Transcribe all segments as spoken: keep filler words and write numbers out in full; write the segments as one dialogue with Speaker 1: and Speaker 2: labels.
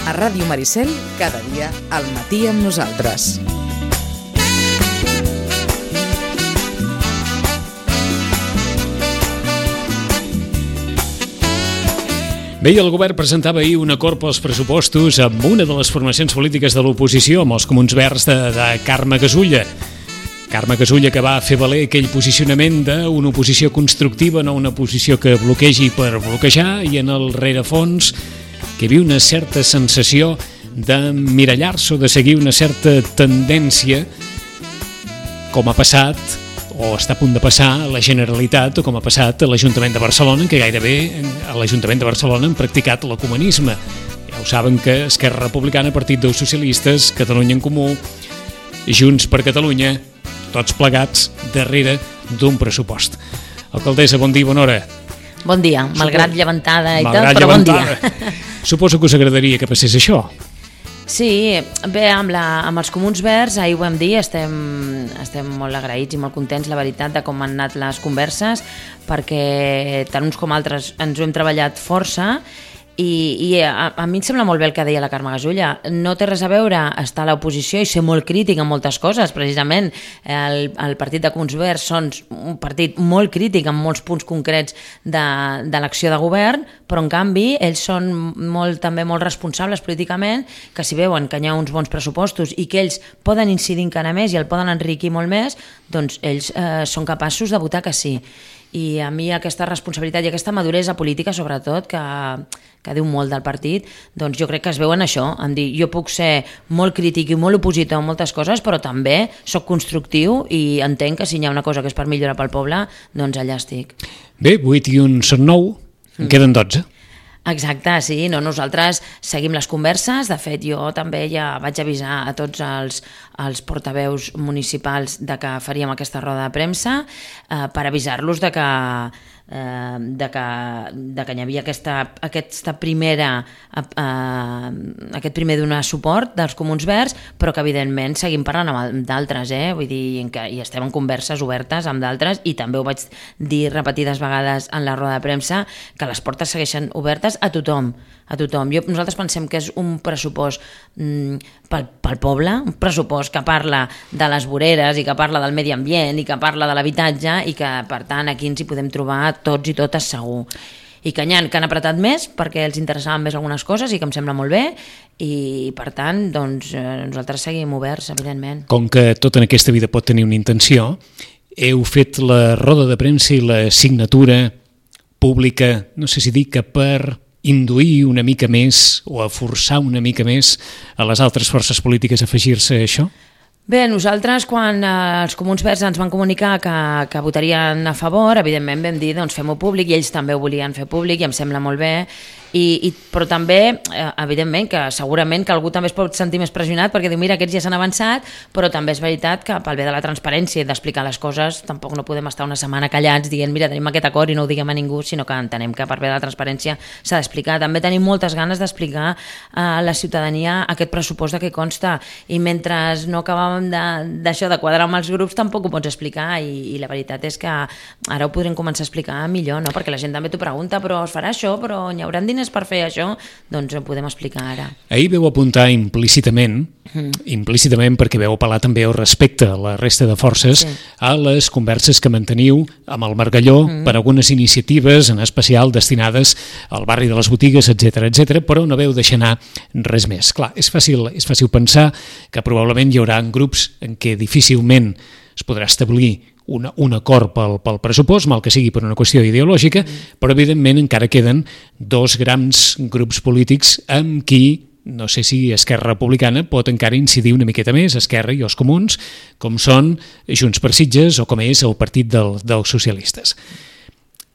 Speaker 1: A Ràdio Maricel, cada dia al matí amb nosaltres.
Speaker 2: Bé, el govern presentava ahir un acord pels pressupostos amb una de les formacions polítiques de l'oposició, amb els Comuns Verds de, de Carme Gasulla. Carme Gasulla, que va fer valer aquell posicionament d'una oposició constructiva, no una oposició que bloquegi per bloquejar, i en el rerefons que hi havia una certa sensació d'emmirallar-se o de seguir una certa tendència, com ha passat o està a punt de passar a la Generalitat o com ha passat a l'Ajuntament de Barcelona, en què gairebé a l'Ajuntament de Barcelona han practicat l'ecumenisme. Ja ho saben que Esquerra Republicana, Partit dels Socialistes, Catalunya en Comú, Junts per Catalunya, tots plegats darrere d'un pressupost. Alcaldessa, bon dia, bona hora.
Speaker 3: Bon dia, malgrat Supo... llevantada i
Speaker 2: malgrat
Speaker 3: tot, però
Speaker 2: llevantada.
Speaker 3: Bon dia.
Speaker 2: Suposo que us agradaria que passés això.
Speaker 3: Sí, bé, amb, la, amb els Comuns Verds, ahir ho vam dir, estem, estem molt agraïts i molt contents, la veritat, de com han anat les converses, perquè tant uns com altres ens ho hem treballat força. I, i a, a mi em sembla molt bé el que deia la Carme Gasulla. No té res a veure estar a l'oposició i ser molt crític en moltes coses. Precisament el, el partit de Comuns Verds són un partit molt crític en molts punts concrets de, de l'acció de govern, però en canvi ells són molt, també molt responsables políticament, que si veuen que hi ha uns bons pressupostos i que ells poden incidir encara més i el poden enriquir molt més, doncs ells eh, són capaços de votar que sí. I a mi aquesta responsabilitat i aquesta maduresa política, sobretot, que, que diu molt del partit, doncs jo crec que es veu en això, en dir, jo puc ser molt crític i molt opositor en moltes coses, però també sóc constructiu i entenc que si hi ha una cosa que és per millorar pel poble, doncs allà estic.
Speaker 2: Bé, vuit i un són nou, en queden dotze.
Speaker 3: Exacte, sí, no, nosaltres seguim les converses, de fet jo també ja vaig avisar a tots els, els portaveus municipals de que faríem aquesta roda de premsa eh, per avisar-los de que, eh, de que, de que hi havia aquesta, aquesta primera, eh, aquest primer donar suport dels Comuns Verds, però que evidentment seguim parlant amb d'altres, eh? Vull dir, que hi estem en converses obertes amb d'altres i també ho vaig dir repetides vegades en la roda de premsa, que les portes segueixen obertes a tothom, a tothom. Jo, nosaltres pensem que és un pressupost mm, pel, pel poble, un pressupost que parla de les voreres i que parla del medi ambient i que parla de l'habitatge i que, per tant, aquí ens hi podem trobar tots i totes segur. I que n'hi ha que han apretat més perquè els interessaven més algunes coses i que em sembla molt bé i, per tant, doncs, nosaltres seguim oberts, evidentment.
Speaker 2: Com que tot en aquesta vida pot tenir una intenció, heu fet la roda de premsa i la signatura pública, no sé si dir que per induir una mica més o a forçar una mica més a les altres forces polítiques a afegir-se a això?
Speaker 3: Bé, nosaltres quan eh, els Comuns Verds ens van comunicar que, que votarien a favor, evidentment vam dir doncs fem-ho públic i ells també ho volien fer públic i em sembla molt bé, i, i, però també, eh, evidentment, que segurament que algú també es pot sentir més pressionat perquè diu mira, aquests ja s'han avançat, però també és veritat que pel bé de la transparència i d'explicar les coses tampoc no podem estar una setmana callats dient mira, tenim aquest acord i no ho diguem a ningú, sinó que entenem que per bé de la transparència s'ha d'explicar. També tenim moltes ganes d'explicar a la ciutadania aquest pressupost de què consta i mentre no acabàvem d'això, de, de quadrar amb els grups, tampoc ho pots explicar i, i la veritat és que ara ho podrem començar a explicar millor, no? Perquè la gent també t'ho pregunta, però es farà això, però hi haurà diners per fer això, doncs ho podem explicar ara.
Speaker 2: Ahir veu apuntar implícitament, mm. implícitament perquè veu apel·lar també al respecte a la resta de forces, sí. a les converses que manteniu amb el Margalló mm. per algunes iniciatives, en especial destinades al barri de les botigues, etcètera, etcètera, però no veu deixar anar res més. Clar, és fàcil, és fàcil pensar que probablement hi haurà grups en què difícilment es podrà establir Una, un acord pel, pel pressupost, mal que sigui per una qüestió ideològica, mm. però evidentment encara queden dos grans grups polítics amb qui, no sé si Esquerra Republicana pot encara incidir una miqueta més, Esquerra i els Comuns, com són Junts per Sitges o com és el Partit del, dels Socialistes.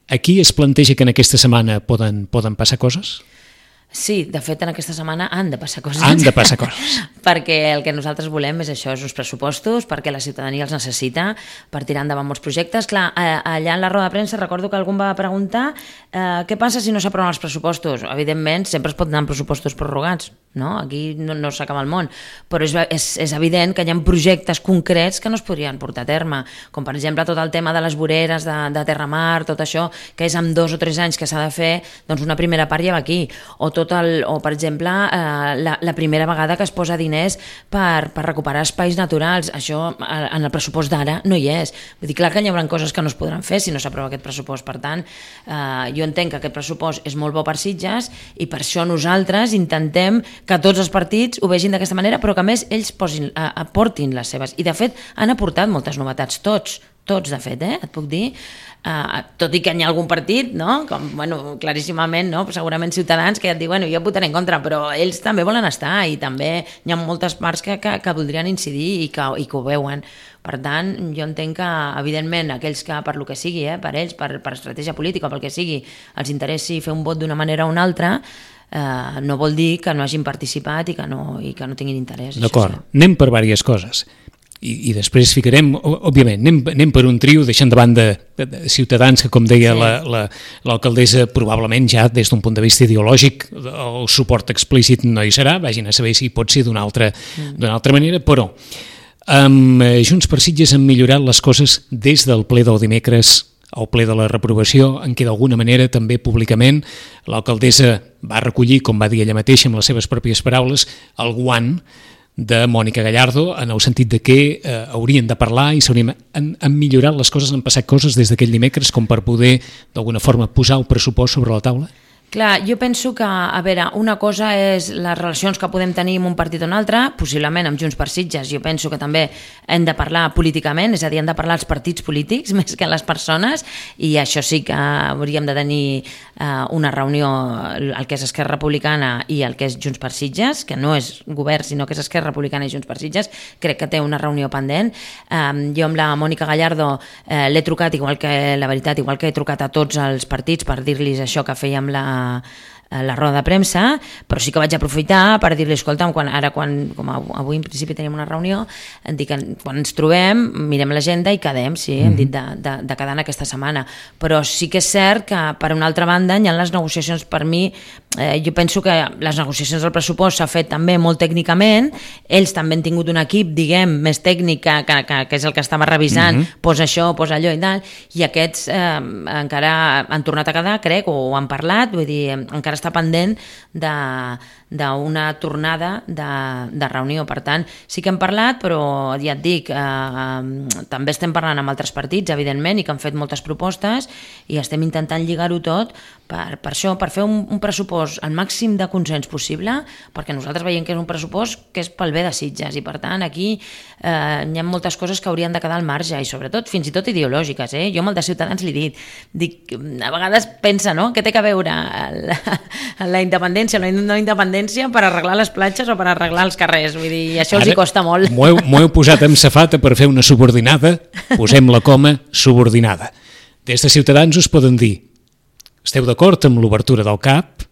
Speaker 2: Aquí es planteja que en aquesta setmana poden, poden passar coses?
Speaker 3: Sí, de fet, en aquesta setmana han de passar coses.
Speaker 2: Han de passar coses.
Speaker 3: Perquè el que nosaltres volem és això, és uns pressupostos, perquè la ciutadania els necessita per tirar endavant molts projectes. Clar, allà en la roda de premsa recordo que algú em va preguntar eh, què passa si no s'aproven els pressupostos. Evidentment, sempre es pot anar amb pressupostos prorrogats. no? Aquí no, no s'acaba el món, però és, és, és evident que hi ha projectes concrets que no es podrien portar a terme, com per exemple tot el tema de les voreres de, de Terramar, tot això, que és amb dos o tres anys que s'ha de fer, doncs una primera part ja va aquí, o, tot el, o per exemple eh, la, la primera vegada que es posa diners per, per recuperar espais naturals, això en el pressupost d'ara no hi és, vull dir, clar que hi haurà coses que no es podran fer si no s'aprova aquest pressupost, per tant eh, jo entenc que aquest pressupost és molt bo per Sitges i per això nosaltres intentem que tots els partits ho vegin d'aquesta manera, però que a més ells posin, aportin les seves. I de fet han aportat moltes novetats, tots, tots de fet, eh? Et puc dir, uh, tot i que hi ha algun partit, no? Com, bueno, claríssimament, no? Segurament Ciutadans, que ja et diu, bueno, jo votaré en contra, però ells també volen estar i també hi ha moltes parts que, que, que voldrien incidir i que, i que ho veuen. Per tant, jo entenc que, evidentment, aquells que per lo que sigui, eh, per ells, per, per estratègia política, pel que sigui, els interessi fer un vot d'una manera o una altra, Uh, no vol dir que no hagin participat i que no, i que no tinguin interès.
Speaker 2: D'acord, anem per diverses coses i, i després ficarem, òbviament, anem, anem per un trio deixant de banda de, de Ciutadans que, com deia sí. l'alcaldessa, la, la, probablement ja des d'un punt de vista ideològic el suport explícit no hi serà, vagin a saber si pot ser d'una altra, mm. d'una altra manera, però amb Junts per Sitges han millorat les coses des del ple del dimecres al ple de la reprovació, en què d'alguna manera també públicament l'alcaldessa va recollir, com va dir ella mateixa amb les seves pròpies paraules, el guant de Mònica Gallardo, en el sentit de que eh, haurien de parlar i s'haurien, han, han millorat les coses, han passat coses des d'aquell dimecres com per poder d'alguna forma posar el pressupost sobre la taula?
Speaker 3: Clar, jo penso que, a veure, una cosa és les relacions que podem tenir amb un partit o un altre, possiblement amb Junts per Sitges. Jo penso que també hem de parlar políticament, és a dir, hem de parlar els partits polítics més que les persones, i això sí que hauríem de tenir eh, una reunió, el que és Esquerra Republicana i el que és Junts per Sitges, que no és govern, sinó que és Esquerra Republicana i Junts per Sitges, crec que té una reunió pendent. Eh, jo amb la Mònica Gallardo eh, l'he trucat, igual que, la veritat, igual que he trucat a tots els partits per dir-los això que fèiem la la roda de premsa, però sí que vaig aprofitar per dir-li, escolta'm, quan, ara quan, com avui en principi tenim una reunió, em dic que quan ens trobem, mirem l'agenda i quedem, sí, hem dit de, de, de quedar en aquesta setmana, però sí que és cert que per una altra banda hi ha les negociacions, per mi, eh, jo penso que les negociacions del pressupost s'ha fet també molt tècnicament, ells també han tingut un equip, diguem, més tècnic que, que, que, que és el que estava revisant, mm-hmm. posa això, posa allò i tal, i aquests eh, encara han tornat a quedar, crec, o han parlat, vull dir, encara està pendent d'una tornada de, de reunió. Per tant, sí que hem parlat, però ja et dic, eh, també estem parlant amb altres partits, evidentment, i que han fet moltes propostes, i estem intentant lligar-ho tot per, per això, per fer un, un pressupost al màxim de consens possible, perquè nosaltres veiem que és un pressupost que és pel bé de Sitges, i per tant, aquí eh, hi ha moltes coses que haurien de quedar al marge, i sobretot, fins i tot ideològiques. Eh? Jo amb el de Ciutadans li he dit, dic, a vegades pensa, no?, què té a veure el, la independència, la no independència per arreglar les platges o per arreglar els carrers, vull dir, i això ara els hi costa molt.
Speaker 2: M'ho heu, m'ho heu posat en safata per fer una subordinada, posem la coma subordinada. Des de Ciutadans us poden dir, esteu d'acord amb l'obertura del C A P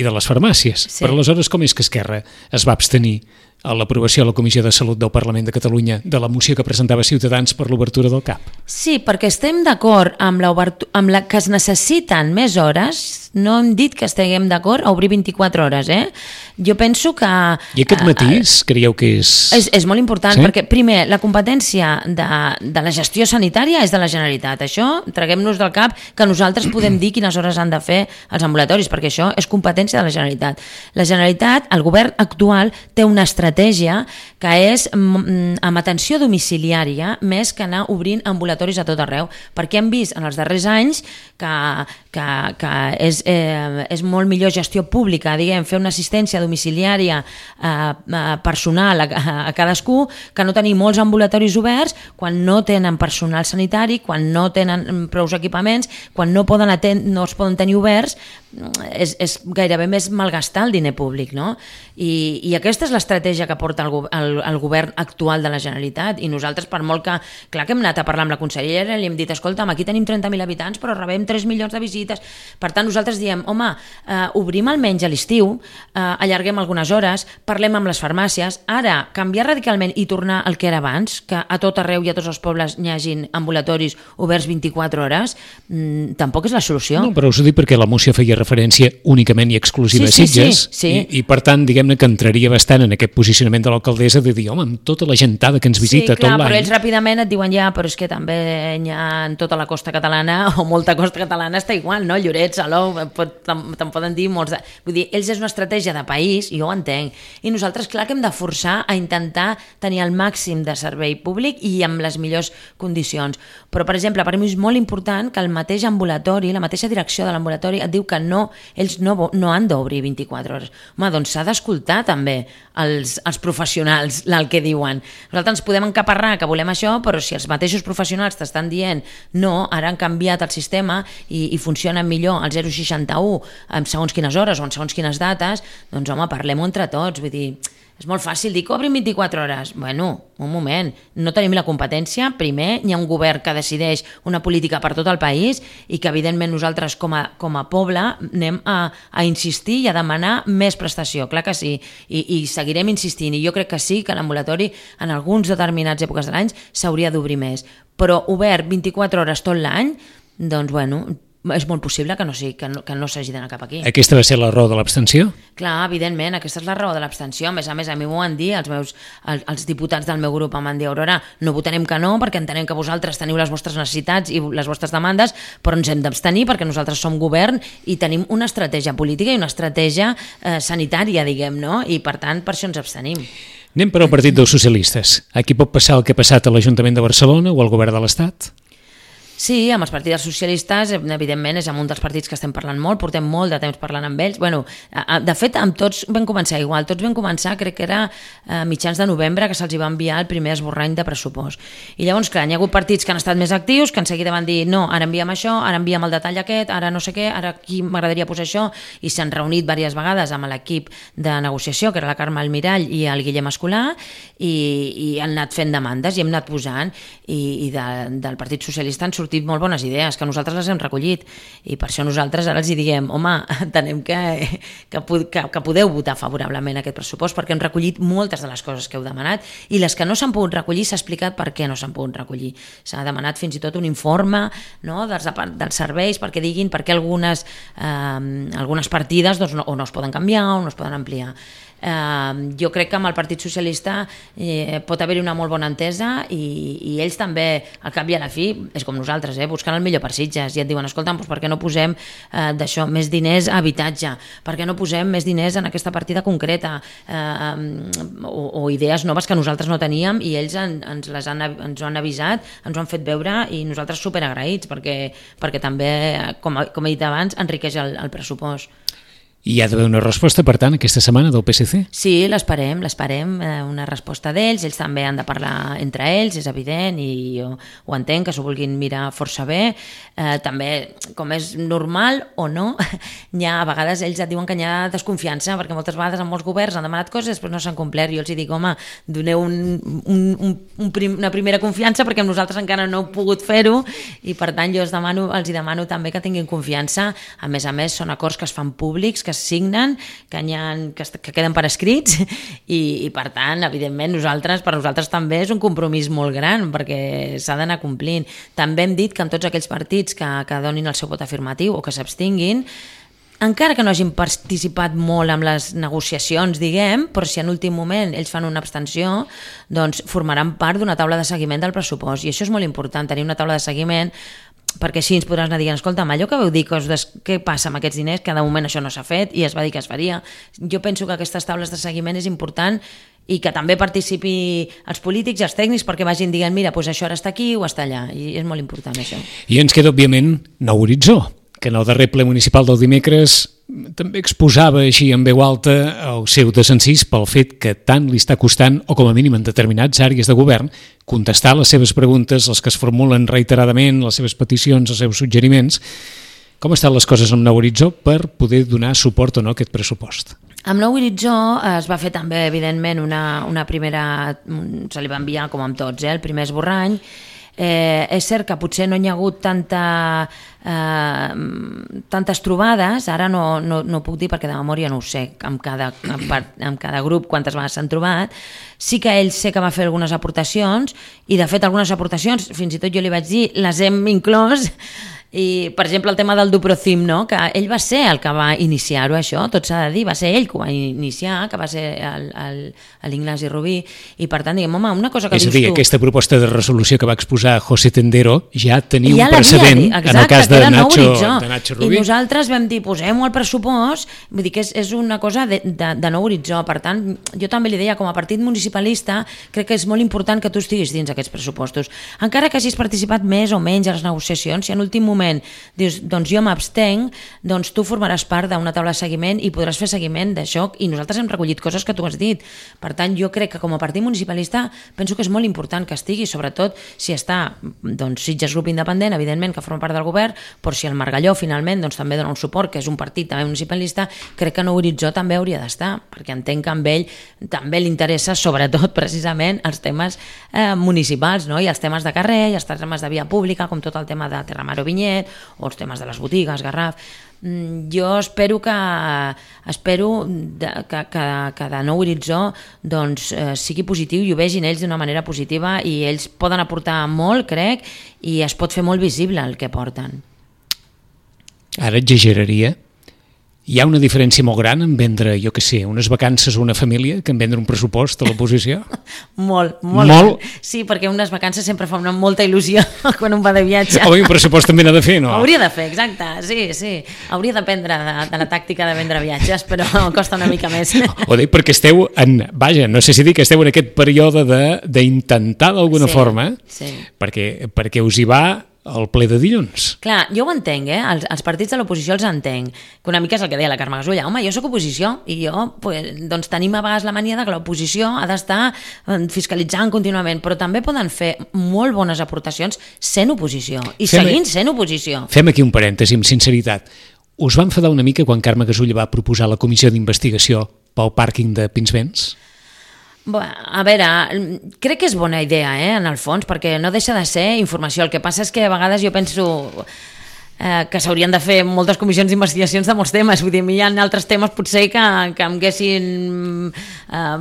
Speaker 2: i de les farmàcies, sí. Però aleshores com és que Esquerra es va abstenir a l'aprovació a la Comissió de Salut del Parlament de Catalunya de la moció que presentava Ciutadans per l'obertura del C A P?
Speaker 3: Sí, perquè estem d'acord amb, amb la que es necessiten més hores, no hem dit que estiguem d'acord a obrir vint-i-quatre hores, eh? Jo penso que...
Speaker 2: I aquest matís uh, creieu que és...
Speaker 3: És, és molt important, sí? Perquè, primer, la competència de, de la gestió sanitària és de la Generalitat. Això, traguem-nos del cap que nosaltres podem dir quines hores han de fer els ambulatoris, perquè això és competència de la Generalitat. La Generalitat, el govern actual, té una estratègia que és mm, amb atenció domiciliària més que anar obrint ambulatoris a tot arreu, perquè hem vist en els darrers anys que, que, que és, eh, és molt millor gestió pública, diguem, fer una assistència domiciliària eh, personal a, a cadascú, que no tenir molts ambulatoris oberts quan no tenen personal sanitari, quan no tenen prous equipaments, quan no, poden aten- no es poden tenir oberts, és, és gairebé més malgastar el diner públic, no? I, i aquesta és l'estratègia que porta el, el, el govern actual de la Generalitat, i nosaltres, per molt que, clar que hem anat a parlar amb la consellera, li hem dit, escolta'm, aquí tenim trenta mil habitants però rebem tres milions de visites visites. Per tant, nosaltres diem, home, eh, obrim almenys a l'estiu, eh, allarguem algunes hores, parlem amb les farmàcies. Ara, canviar radicalment i tornar al que era abans, que a tot arreu i a tots els pobles hi hagin ambulatoris oberts vint-i-quatre hores, mmm, tampoc és la solució.
Speaker 2: No, però us ho dic perquè la moció feia referència únicament i exclusiva
Speaker 3: sí,
Speaker 2: a Sitges,
Speaker 3: sí, sí, sí.
Speaker 2: I, i per tant, diguem-ne que entraria bastant en aquest posicionament de l'alcaldessa de dir, home, amb tota la gentada que ens visita
Speaker 3: sí, clar,
Speaker 2: tot l'any...
Speaker 3: però ells ràpidament et diuen ja, però és que també hi ha en tota la costa catalana, o molta costa catalana està igual, no? Lloret, Salou, te'n poden dir molts... De... Vull dir, ells és una estratègia de país, i jo ho entenc, i nosaltres, clar, que hem de forçar a intentar tenir el màxim de servei públic i amb les millors condicions. Però, per exemple, per mi és molt important que el mateix ambulatori, la mateixa direcció de l'ambulatori et diu que no, ells no, no han d'obrir vint-i-quatre hores. Home, doncs s'ha d'escoltar també els, els professionals el que diuen. Nosaltres ens podem encaparrar que volem això, però si els mateixos professionals t'estan dient no, ara han canviat el sistema i, i funciona millor el zero seixanta u en segons quines hores o en segons quines dates, doncs home, parlem-ho entre tots, vull dir... És molt fàcil dir que obrin vint-i-quatre hores. Bueno, un moment, no tenim la competència. Primer, hi ha un govern que decideix una política per tot el país i que, evidentment, nosaltres com a, com a poble anem a, a insistir i a demanar més prestació. Clar que sí, I, i seguirem insistint. I jo crec que sí, que l'ambulatori en alguns determinats èpoques de l'any s'hauria d'obrir més. Però obert vint-i-quatre hores tot l'any, doncs, bueno... és molt possible que no, sí, que no, que no s'hagi d'anar cap aquí.
Speaker 2: Aquesta va ser la raó de l'abstenció?
Speaker 3: Clar, evidentment, aquesta és la raó de l'abstenció. A més a més, a mi m'ho van dir, els, meus, els, els diputats del meu grup em van dir, Aurora, no votarem que no, perquè entenem que vosaltres teniu les vostres necessitats i les vostres demandes, però ens hem d'abstenir perquè nosaltres som govern i tenim una estratègia política i una estratègia eh, sanitària, diguem, no? I per tant, per això ens abstenim.
Speaker 2: Anem per al Partit dels Socialistes. Aquí pot passar el que ha passat a l'Ajuntament de Barcelona o al Govern de l'Estat?
Speaker 3: Sí, amb els partits socialistes, evidentment, és amb un dels partits que estem parlant molt, portem molt de temps parlant amb ells. Bueno, de fet, amb tots vam començar igual, tots vam començar, crec que era a mitjans de novembre, que se'ls va enviar el primer esborrany de pressupost. I llavors, clar, hi ha hagut partits que han estat més actius, que en seguida van dir, no, ara enviem això, ara enviem el detall aquest, ara no sé què, ara aquí m'agradaria posar això, i s'han reunit diverses vegades amb l'equip de negociació, que era la Carme Almirall i el Guillem Escolà, i, i han anat fent demandes i hem anat posant, i, i de, del Partit Socialista han sortit molt bones idees, que nosaltres les hem recollit i per això nosaltres ara els hi diem home, entenem que, que, que, que podeu votar favorablement aquest pressupost perquè hem recollit moltes de les coses que heu demanat i les que no s'han pogut recollir s'ha explicat per què no s'han pogut recollir. S'ha demanat fins i tot un informe, no, dels, dels serveis perquè diguin per què algunes, eh, algunes partides doncs, no, o no es poden canviar o no es poden ampliar. Uh, jo crec que amb el Partit Socialista eh, pot haver-hi una molt bona entesa i, i ells també, al cap i a la fi és com nosaltres, eh, buscant el millor per Sitges i et diuen, escolta, doncs per què no posem eh, d'això més diners a habitatge, per què no posem més diners en aquesta partida concreta eh, o, o idees noves que nosaltres no teníem i ells en, ens les han, ens ho han avisat, ens ho han fet veure i nosaltres superagraïts perquè, perquè també, com, com he dit abans, enriqueix el, el pressupost.
Speaker 2: I hi ha d'haver una resposta, per tant, aquesta setmana del P S C?
Speaker 3: Sí, l'esperem, l'esperem, eh, una resposta d'ells, ells també han de parlar entre ells, és evident, i jo ho entenc, que s'ho vulguin mirar força bé. Eh, també, com és normal o no, hi ha, a vegades ells et diuen que hi ha desconfiança, perquè moltes vegades en molts governs han demanat coses i després no s'han complert. Jo els dic, home, doneu un, un, un, un prim, una primera confiança perquè nosaltres encara no heu pogut fer-ho i per tant jo els demano, els hi demano també que tinguin confiança. A més a més, són acords que es fan públics, que es signen, que, ha, que, que queden per escrits i, i per tant, evidentment, nosaltres, per nosaltres també és un compromís molt gran perquè s'ha d'anar complint. També hem dit que amb tots aquells partits que, que donin el seu vot afirmatiu o que s'abstinguin, encara que no hagin participat molt en les negociacions, diguem, però si en últim moment ells fan una abstenció, doncs formaran part d'una taula de seguiment del pressupost i això és molt important, tenir una taula de seguiment perquè així ens podràs anar dient, escolta, allò que vau dir, què passa amb aquests diners, que de moment això no s'ha fet i es va dir que es faria. Jo penso que aquestes taules de seguiment és important i que també participi els polítics i els tècnics perquè vagin dient, mira, doncs això ara està aquí o està allà, i és molt important això.
Speaker 2: I ens queda, òbviament, Nou Horitzó, que en el darrer ple municipal del dimecres també exposava així en veu alta el seu desencís pel fet que tant li està costant, o com a mínim en determinats àrees de govern, contestar les seves preguntes, les que es formulen reiteradament, les seves peticions, els seus suggeriments. Com estan les coses amb Nou Horitzó per poder donar suport o no a aquest pressupost?
Speaker 3: Amb Nou Horitzó es va fer també, evidentment, una, una primera... se li va enviar, com amb tots, eh, el primer esborrany. Eh, és cert que potser no hi ha hagut tanta, eh, tantes trobades, ara no, no, no puc dir perquè de memòria no ho sé, amb cada, amb, amb cada grup quantes vegades s'han trobat. Sí que ell sé que va fer algunes aportacions i de fet algunes aportacions, fins i tot jo li vaig dir, les hem inclòs. I, per exemple, el tema del Duprocim, no? Que ell va ser el que va iniciar-ho, això, tot s'ha de dir, va ser ell que ho va iniciar, que va ser l'Ignasi Rubí, i per tant, diguem, home, una cosa que
Speaker 2: és
Speaker 3: dius
Speaker 2: a dir,
Speaker 3: tu...
Speaker 2: aquesta proposta de resolució que va exposar José Tendero ja tenia
Speaker 3: ja
Speaker 2: un precedent
Speaker 3: exacte,
Speaker 2: en el cas de Nacho,
Speaker 3: de
Speaker 2: Nacho Rubí.
Speaker 3: I nosaltres vam dir, posem-ho al pressupost, vull dir que és, és una cosa de, de, de nou horitzó, per tant, jo també li deia, com a partit municipalista, crec que és molt important que tu estiguis dins aquests pressupostos. Encara que hagis participat més o menys a les negociacions, si en l'últim moment dius, doncs jo m'abstenc, doncs tu formaràs part d'una taula de seguiment i podràs fer seguiment d'això, i nosaltres hem recollit coses que tu has dit. Per tant, jo crec que com a partit municipalista penso que és molt important que estigui, sobretot si està doncs, Sitges Grup Independent, evidentment que forma part del govern, però si el Margalló finalment doncs, també dona un suport, que és un partit també municipalista, crec que Nou Horitzó també hauria d'estar, perquè entenc que amb ell també li interessa sobretot precisament els temes eh, municipals, no? I els temes de carrer, i els temes de via pública, com tot el tema de Terramar o Vinyet, o els temes de les botigues, Garraf. Jo espero que espero que, que, que de Nou Horitzó doncs, eh, sigui positiu i ho vegin ells d'una manera positiva, i ells poden aportar molt, crec, i es pot fer molt visible el que porten.
Speaker 2: Ara exageraria. Hi ha una diferència molt gran en vendre, jo què sé, unes vacances a una família que en vendre un pressupost a l'oposició?
Speaker 3: molt, molt, molt. Sí, perquè unes vacances sempre fa una molta il·lusió quan un va de viatge.
Speaker 2: Home, un pressupost també n'ha de fer, no?
Speaker 3: Hauria de fer, exacte, sí, sí. Hauria d'aprendre de, de la tàctica de vendre viatges, però costa una mica més.
Speaker 2: Ho dic perquè esteu en, vaja, no sé si dir que esteu en aquest període d'intentar d'alguna
Speaker 3: sí,
Speaker 2: forma,
Speaker 3: sí.
Speaker 2: Perquè, perquè us hi va el ple de dilluns.
Speaker 3: Clar, jo ho entenc, eh? Els, els partits de l'oposició els entenc, que una mica és el que deia la Carme Gasulla, home, jo sóc oposició i jo, pues, doncs tenim a vegades la mania de que l'oposició ha d'estar fiscalitzant contínuament, però també poden fer molt bones aportacions sent oposició i fem, seguint sent oposició.
Speaker 2: Fem aquí un parèntesi, amb sinceritat. Us va enfadar una mica quan Carme Gasulla va proposar la comissió d'investigació pel pàrquing de Pinsbens?
Speaker 3: Bueno, a veure, crec que és bona idea, eh, en el fons, perquè no deixa de ser informació. El que passa és que a vegades jo penso eh, que s'haurien de fer moltes comissions d'investigacions de molts temes. Vull dir, hi ha altres temes potser que, que em haguessin eh,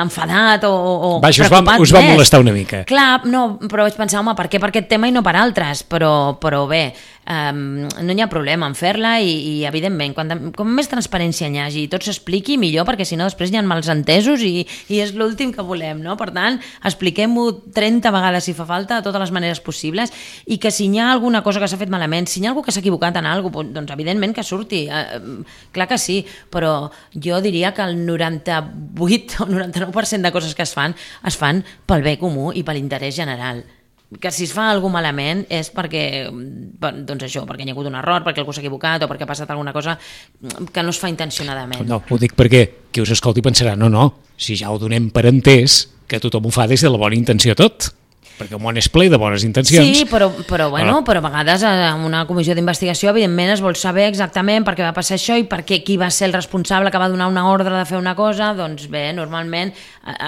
Speaker 3: enfadat o, o
Speaker 2: Vaja,
Speaker 3: preocupat
Speaker 2: us va, us va molestar una mica.
Speaker 3: Clar, no, però vaig pensar, home, per què per aquest tema i no per altres? Però, però bé, Um, no hi ha problema en fer-la i, i evidentment, quan, com més transparència hi hagi i tot s'expliqui, millor, perquè si no després hi ha mals entesos i, i és l'últim que volem, no? Per tant, expliquem-ho trenta vegades si fa falta, de totes les maneres possibles, i que si hi ha alguna cosa que s'ha fet malament, si hi ha algú que s'ha equivocat en alguna cosa, doncs evidentment que surti, uh, clar que sí, però jo diria que el noranta-vuit o noranta-nou per cent de coses que es fan, es fan pel bé comú i per l'interès general. Que si es fa alguna malament és perquè, doncs això, perquè hi ha hagut un error, perquè algú s'ha equivocat o perquè ha passat alguna cosa que no es fa intencionadament.
Speaker 2: No, ho dic perquè qui us escolti pensarà, no, no, si ja ho donem per entès, que tothom ho fa des de la bona intenció tot. Perquè el món és ple de bones intencions.
Speaker 3: Sí, però, però, bueno, però a vegades en una comissió d'investigació evidentment es vol saber exactament per què va passar això i per què, qui va ser el responsable que va donar una ordre de fer una cosa. Doncs bé, normalment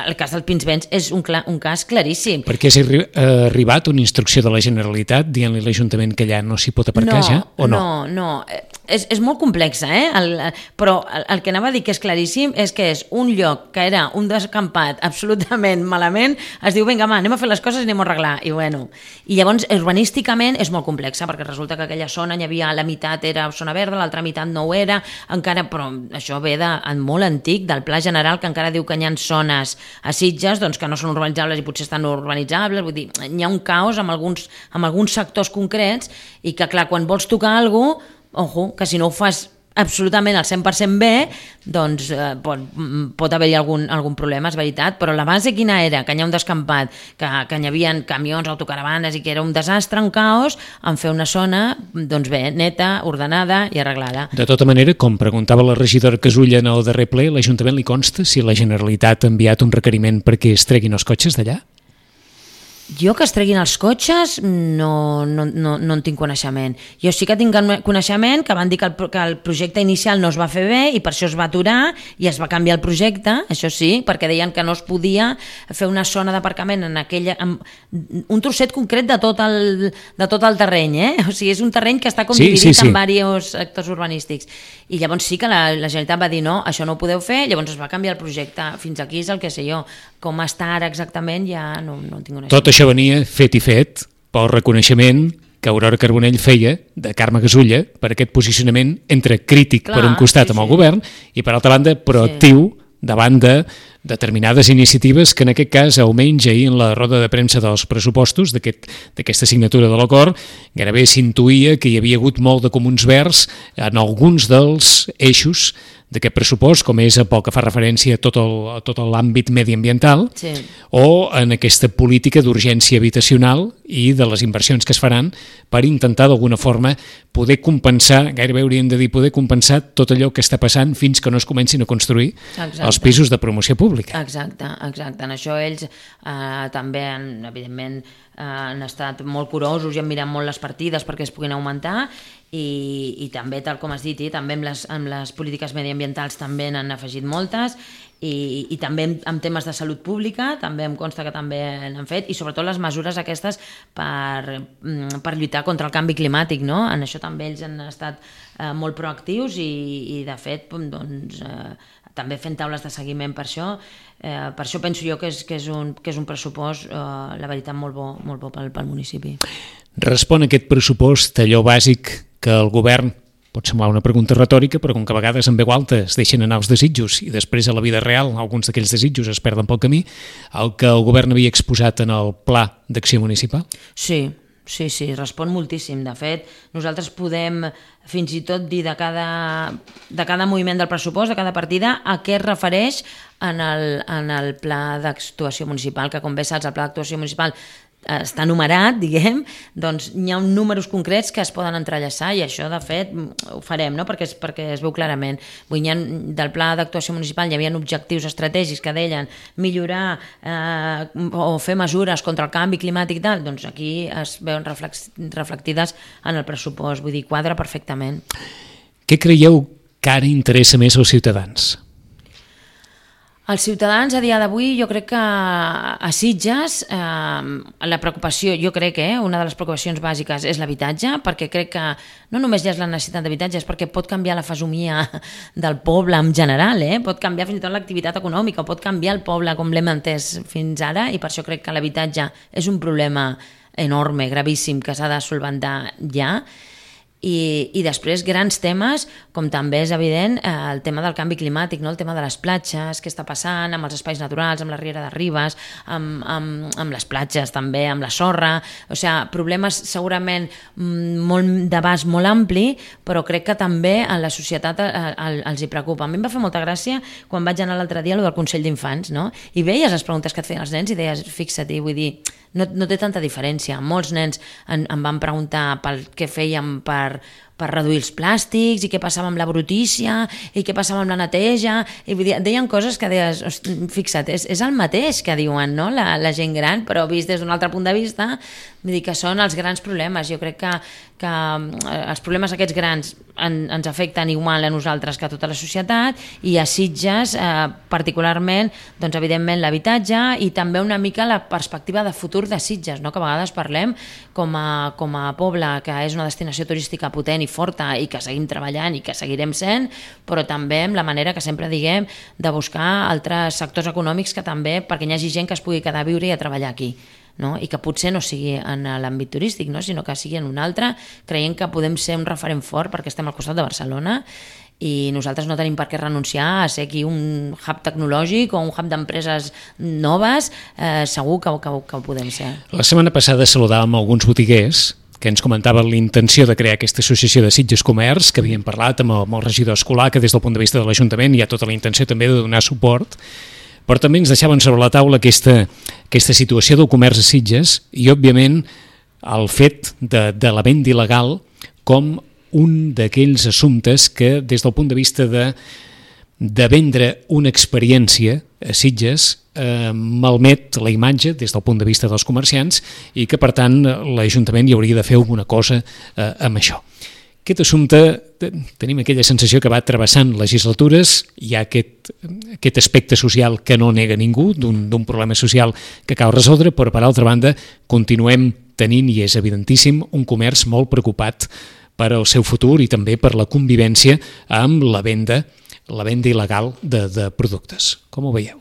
Speaker 3: el cas del Pinsbens és un, clar, un cas claríssim.
Speaker 2: Perquè ha arribat una instrucció de la Generalitat dient-li a l'Ajuntament que allà no s'hi pot aparcar
Speaker 3: no,
Speaker 2: ja, o no?
Speaker 3: No, no, és, és molt complexa, eh? El, però el, el que anava a dir que és claríssim és que és un lloc que era un descampat absolutament malament, es diu, vinga, ma, anem a fer les coses i anem a arreglar, i bueno, i llavors urbanísticament és molt complexa, perquè resulta que aquella zona hi havia, la meitat era zona verda, l'altra meitat no ho era, encara, però això ve de molt antic, del Pla General, que encara diu que hi ha zones a Sitges doncs, que no són urbanitzables i potser estan urbanitzables, vull dir, hi ha un caos amb alguns, amb alguns sectors concrets, i que clar, quan vols tocar alguna cosa, ojo, que si no ho fas absolutament al cent per cent bé, doncs eh, pot, pot haver-hi algun, algun problema, és veritat, però la base quina era? Que hi ha un descampat, que, que hi havia camions, autocaravanes i que era un desastre, un caos, en fer una zona, doncs bé, neta, ordenada i arreglada.
Speaker 2: De tota manera, com preguntava la regidora Casulla en el darrer ple, l'Ajuntament li consta si la Generalitat ha enviat un requeriment perquè es treguin els cotxes d'allà?
Speaker 3: Jo que es treguin els cotxes no, no, no, no en tinc coneixement. Jo sí que tinc coneixement que van dir que el, que el projecte inicial no es va fer bé i per això es va aturar i es va canviar el projecte, això sí, perquè deien que no es podia fer una zona d'aparcament en aquella, en un trosset concret de tot el, de tot el terreny, eh? O sigui, és un terreny que està com
Speaker 2: sí,
Speaker 3: dividit
Speaker 2: sí, sí.
Speaker 3: en diversos sectors urbanístics. I llavors sí que la, la Generalitat va dir no, això no ho podeu fer, llavors es va canviar el projecte. Fins aquí és el que sé jo. Com està ara exactament ja no, no tinc una...
Speaker 2: Tot això venia fet i fet pel reconeixement que Aurora Carbonell feia de Carme Gasulla per aquest posicionament entre crític
Speaker 3: Clar,
Speaker 2: per un costat
Speaker 3: sí,
Speaker 2: amb el
Speaker 3: sí.
Speaker 2: govern i per altra banda proactiu sí. davant de determinades iniciatives que en aquest cas, almenys ahir en la roda de premsa dels pressupostos d'aquesta aquest, signatura de l'acord, gairebé s'intuïa que hi havia hagut molt de comuns verds en alguns dels eixos d'aquest pressupost, com és pel que fa referència a tot, el, a tot l'àmbit mediambiental
Speaker 3: sí.
Speaker 2: o en aquesta política d'urgència habitacional i de les inversions que es faran per intentar d'alguna forma poder compensar, gairebé hauríem de dir poder compensar tot allò que està passant fins que no es comencin a construir Exacte. els pisos de promoció pública.
Speaker 3: Exacte, exacte. En això ells eh, també, han, evidentment, eh, han estat molt curosos i han mirat molt les partides perquè es puguin augmentar i, i també, tal com has dit, i també amb les, amb les polítiques mediambientals també n'han afegit moltes i, i també en, en temes de salut pública també em consta que també n'han fet i sobretot les mesures aquestes per, per lluitar contra el canvi climàtic, no? En això també ells han estat eh, molt proactius i, i de fet doncs, eh, també fent taules de seguiment per això. Eh, per això penso jo que és, que és, un, que és un pressupost, eh, la veritat, molt bo, molt bo pel, pel municipi.
Speaker 2: Respon aquest pressupost allò bàsic que el govern, pot semblar una pregunta retòrica, però com que a vegades en veu alta es deixen anar els desitjos i després a la vida real alguns d'aquells desitjos es perden pel camí, el que el govern havia exposat en el Pla d'Acció Municipal?
Speaker 3: Sí, sí, sí, respon moltíssim. De fet, nosaltres podem fins i tot dir de cada, de cada moviment del pressupost, de cada partida, a què es refereix en el, en el Pla d'Actuació Municipal, que com bé saps, el Pla d'Actuació Municipal està numerat, diguem, doncs hi ha números concrets que es poden entrellaçar i això, de fet, ho farem, no? perquè, es, perquè es veu clarament. Vull dir, del Pla d'Actuació Municipal hi havia objectius estratègics que deien millorar eh, o fer mesures contra el canvi climàtic i tal, doncs aquí es veuen reflectides en el pressupost, vull dir, quadra perfectament.
Speaker 2: Què creieu que ara interessa més als ciutadans?
Speaker 3: Els ciutadans a dia d'avui jo crec que a Sitges eh, la preocupació, jo crec que eh, una de les preocupacions bàsiques és l'habitatge, perquè crec que no només hi ha la necessitat d'habitatge, és perquè pot canviar la fesomia del poble en general, eh? Pot canviar fins i tot l'activitat econòmica, pot canviar el poble com l'hem entès fins ara i per això crec que l'habitatge és un problema enorme, gravíssim, que s'ha de solventar ja. I, i després grans temes com també és evident eh, el tema del canvi climàtic, no? El tema de les platges, què està passant amb els espais naturals, amb la Riera de Ribes, amb, amb, amb les platges també, amb la sorra, o sigui, problemes segurament molt d'abast molt ampli, però crec que també a la societat eh, els hi preocupa. A mi em va fer molta gràcia quan vaig anar l'altre dia a lo del Consell d'Infants, no? I veies les preguntes que et feien els nens i deies, fixa't, vull dir, no, no té tanta diferència. Molts nens en, em van preguntar pel què fèiem per, per reduir els plàstics i què passava amb la brutícia i què passava amb la neteja i vull dir, deien coses que deies, fixa't, és, és el mateix que diuen, no? la, la gent gran, però vist des d'un altre punt de vista, vull dir que són els grans problemes. Jo crec que, que els problemes aquests grans en, ens afecten igual a nosaltres que a tota la societat i a Sitges eh, particularment, doncs evidentment l'habitatge i també una mica la perspectiva de futur de Sitges, no? Que a vegades parlem com a, com a poble que és una destinació turística potent i forta i que seguim treballant i que seguirem sent, però també amb la manera que sempre diguem de buscar altres sectors econòmics que també, perquè hi hagi gent que es pugui quedar a viure i a treballar aquí. No? I que potser no sigui en l'àmbit turístic, no? Sinó que sigui en un altre, creient que podem ser un referent fort perquè estem al costat de Barcelona i nosaltres no tenim per què renunciar a ser aquí un hub tecnològic o un hub d'empreses noves, eh, segur que, que, que ho podem ser.
Speaker 2: La setmana passada saludàvem alguns botiguers que ens comentaven l'intenció de crear aquesta associació de Sitges Comerç, que havien parlat amb el, amb el regidor escolar, que des del punt de vista de l'Ajuntament hi ha tota la intenció també de donar suport, però també ens deixaven sobre la taula aquesta, aquesta situació del comerç a Sitges i, òbviament, el fet de, de la venda il·legal com un d'aquells assumptes que, des del punt de vista de de vendre una experiència a Sitges eh, malmet la imatge des del punt de vista dels comerciants i que, per tant, l'Ajuntament hi hauria de fer alguna cosa eh, amb això. Aquest assumpte, tenim aquella sensació que va travessant legislatures, hi ha aquest, aquest aspecte social que no nega ningú, d'un problema social que cal resoldre, però per altra banda continuem tenint, i és evidentíssim, un comerç molt preocupat per al seu futur i també per la convivència amb la venda, la venda il·legal de, de productes. Com ho veieu?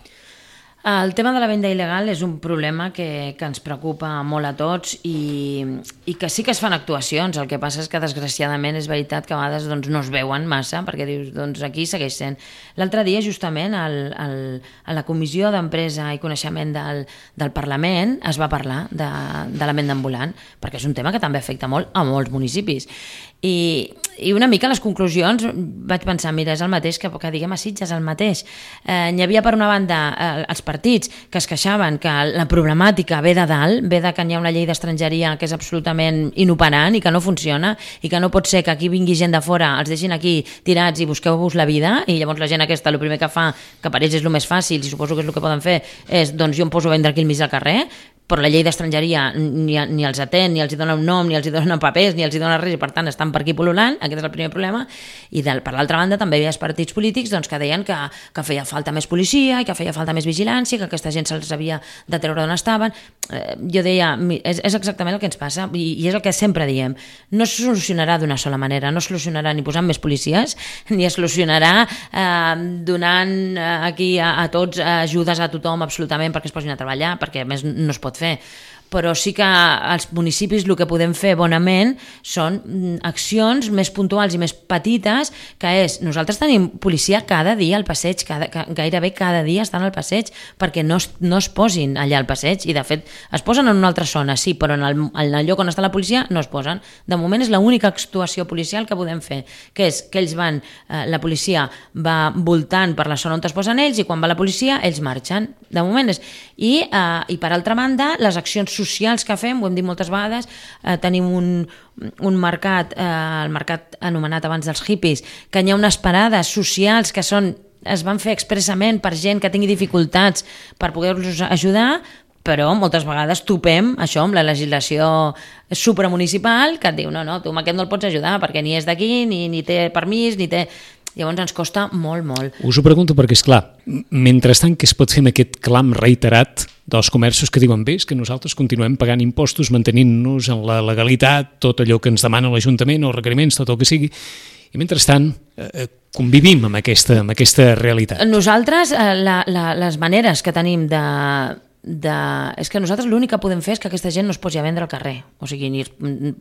Speaker 3: El tema de la venda il·legal és un problema que, que ens preocupa molt a tots i, i que sí que es fan actuacions, el que passa és que desgraciadament és veritat que a vegades doncs, no es veuen massa, perquè dius, doncs aquí segueix sent. L'altre dia justament al, al, a la Comissió d'Empresa i Coneixement del, del Parlament es va parlar de, de la venda ambulant, perquè és un tema que també afecta molt a molts municipis. I, i una mica les conclusions vaig pensar, mira, és el mateix que, que diguem a Sitges, el mateix. Eh, hi havia per una banda eh, els partits que es queixaven que la problemàtica ve de dalt, ve de que hi ha una llei d'estrangeria que és absolutament inoperant i que no funciona i que no pot ser que aquí vingui gent de fora, els deixin aquí tirats i busqueu-vos la vida i llavors la gent aquesta el primer que fa, que per ells és el més fàcil i suposo que és el que poden fer, és doncs jo em poso a vendre aquí al mig del carrer, però la llei d'estrangeria ni, ni els atén, ni els hi dona un nom, ni els hi dona papers, ni els hi dona res, i per tant estan per aquí pol·lulant, aquest és el primer problema. I de, per l'altra banda també hi havia els partits polítics doncs, que deien que, que feia falta més policia, i que feia falta més vigilància, que aquesta gent se'ls havia de treure d'on estaven. Eh, jo deia, és, és exactament el que ens passa, i, i és el que sempre diem, no es solucionarà d'una sola manera, no es solucionarà ni posant més policies, ni es solucionarà eh, donant eh, aquí a, a tots ajudes a tothom absolutament perquè es posin a treballar, perquè a més no es pot fer, però sí que als municipis el que podem fer bonament són accions més puntuals i més petites, que és, nosaltres tenim policia cada dia al passeig, cada, gairebé cada dia estan al passeig, perquè no es, no es posin allà al passeig, i de fet es posen en una altra zona, sí, però en el, en el lloc on està la policia no es posen. De moment és l'única actuació policial que podem fer, que és que ells van, eh, la policia va voltant per la zona on es posen ells, i quan va la policia ells marxen. De moment és... I, eh, i per altra banda, les accions socials que fem, ho hem dit moltes vegades, eh, tenim un, un mercat, eh, el mercat anomenat abans dels hippies, que hi ha unes parades socials que són, es van fer expressament per gent que tingui dificultats per poder-los ajudar, però moltes vegades topem això amb la legislació supramunicipal que et diu, no, no, tu amb aquest no el pots ajudar perquè ni és d'aquí, ni, ni té permís, ni té... Llavors ens costa molt, molt.
Speaker 2: Us ho pregunto perquè, esclar, mentrestant que es pot fer amb aquest clam reiterat dels comerços que diuen bé, és que nosaltres continuem pagant impostos, mantenint-nos en la legalitat, tot allò que ens demana l'Ajuntament, els requeriments, tot el que sigui, i mentrestant eh, convivim amb aquesta, amb aquesta realitat.
Speaker 3: Nosaltres, eh, la, la, les maneres que tenim de... De... és que nosaltres l'únic que podem fer és que aquesta gent no es posi a vendre al carrer, o sigui, ni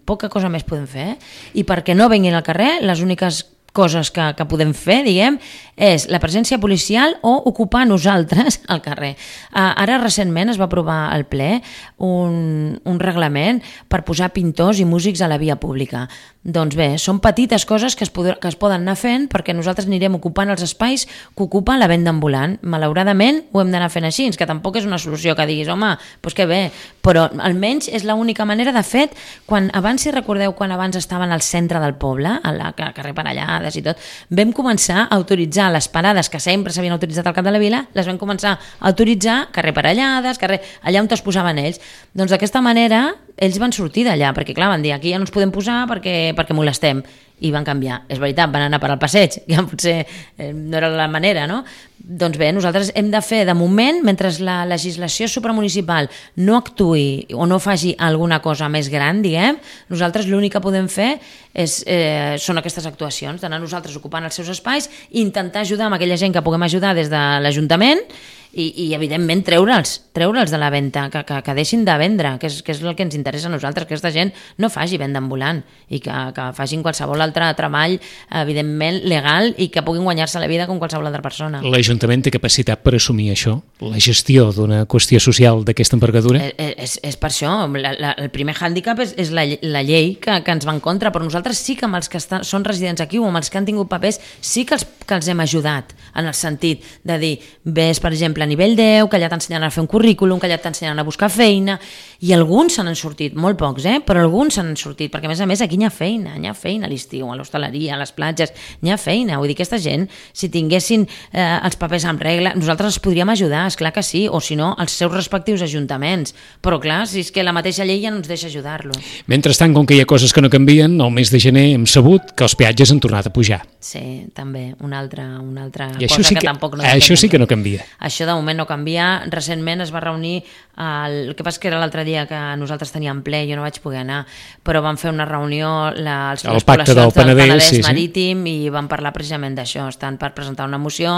Speaker 3: poca cosa més podem fer, i perquè no venguin al carrer, les úniques coses que, que podem fer, diguem, és la presència policial o ocupar nosaltres al carrer. Uh, ara recentment es va aprovar al ple un, un reglament per posar pintors i músics a la via pública. Doncs bé, són petites coses que es, poder, que es poden anar fent perquè nosaltres anirem ocupant els espais que ocupa la venda ambulant. Malauradament ho hem d'anar fent així, que tampoc és una solució que diguis, home, doncs que bé, però almenys és l'única manera. De fet, quan abans, si recordeu, quan abans estaven al centre del poble, a la carrer Parellades i tot, vam començar a autoritzar les parades que sempre s'havien autoritzat al cap de la vila, les vam començar a autoritzar carrer Parellades, carrer, allà on es posaven ells. Doncs d'aquesta manera ells van sortir d'allà, perquè clar, van dir, aquí ja no ens podem posar perquè, perquè molestem, i van canviar. És veritat, van anar per al passeig, que potser eh, no era la manera, no? Doncs bé, nosaltres hem de fer, de moment, mentre la legislació supramunicipal no actuï o no faci alguna cosa més gran, diguem, nosaltres l'únic que podem fer és, eh, són aquestes actuacions, d'anar nosaltres ocupant els seus espais i intentar ajudar amb aquella gent que puguem ajudar des de l'Ajuntament i, i evidentment, treure'ls, treure'ls de la venda, que, que, que deixin de vendre, que és, que és el que ens interessa a nosaltres, que aquesta gent no faci venda ambulant i que, que facin qualsevol altre treball, evidentment, legal i que puguin guanyar-se la vida com qualsevol altra persona.
Speaker 2: L'Ajuntament té capacitat per assumir això? La gestió d'una qüestió social d'aquesta envergadura?
Speaker 3: És, és, és per això. La, la, el primer hàndicap és, és la, la llei que, que ens va en contra, però nosaltres sí que amb els que estan, són residents aquí o amb els que han tingut papers sí que els, que els hem ajudat en el sentit de dir, ves, per exemple, a nivell deu, que allà t'ensenyaran a fer un currículum, que allà t'ensenyaran a buscar feina, i alguns se n'han sortit, molt pocs, eh? Però alguns se n'han sortit, perquè a més a més aquí hi ha feina, hi ha feina a l'estiu, a l'hostaleria, a les platges, hi ha feina, vull dir, aquesta gent, si tinguessin eh, els papers en regla, nosaltres els podríem ajudar, és clar que sí, o si no, els seus respectius ajuntaments, però clar, si és que la mateixa llei ja no ens deixa ajudar-los.
Speaker 2: Mentrestant, com que hi ha coses que no canvien, el mes de gener hem sabut que els peatges han tornat a pujar.
Speaker 3: Sí, també, una altra, una altra
Speaker 2: I
Speaker 3: cosa
Speaker 2: sí
Speaker 3: que,
Speaker 2: que
Speaker 3: tampoc no...
Speaker 2: Això sí que no canvia.
Speaker 3: Això de moment no canvia. Recentment es va reunir, el, el que passa que era l'altre dia que nosaltres teníem ple, jo no vaig poder anar, però vam fer una reunió la, els,
Speaker 2: el
Speaker 3: les
Speaker 2: pacte del
Speaker 3: poblacions del
Speaker 2: Penedès,
Speaker 3: Penedès
Speaker 2: sí,
Speaker 3: Marítim sí. I vam parlar precisament d'això. Estan per presentar una moció,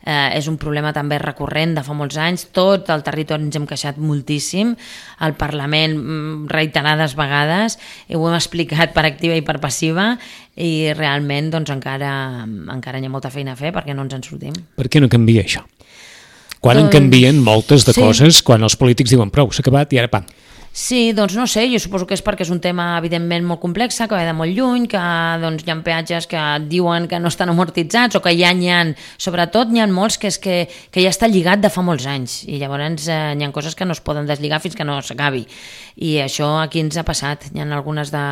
Speaker 3: eh, és un problema també recurrent de fa molts anys, tot el territori ens hem queixat moltíssim, al Parlament reiterades vegades, i ho hem explicat per activa i per passiva, i realment doncs, encara, encara hi ha molta feina a fer perquè no ens en sortim.
Speaker 2: Per què no canvia això? Quan
Speaker 3: doncs,
Speaker 2: en canvien moltes de
Speaker 3: sí.
Speaker 2: coses, quan els polítics diuen prou, s'ha acabat i ara pam.
Speaker 3: Sí, doncs no sé, jo suposo que és perquè és un tema evidentment molt complex, que ve de molt lluny, que doncs, hi ha peatges que diuen que no estan amortitzats o que ja n'hi ha, sobretot n'hi ha molts que, és que, que ja està lligat de fa molts anys i llavors eh, n'hi ha coses que no es poden deslligar fins que no s'acabi i això aquí ens ha passat, hi ha algunes, de,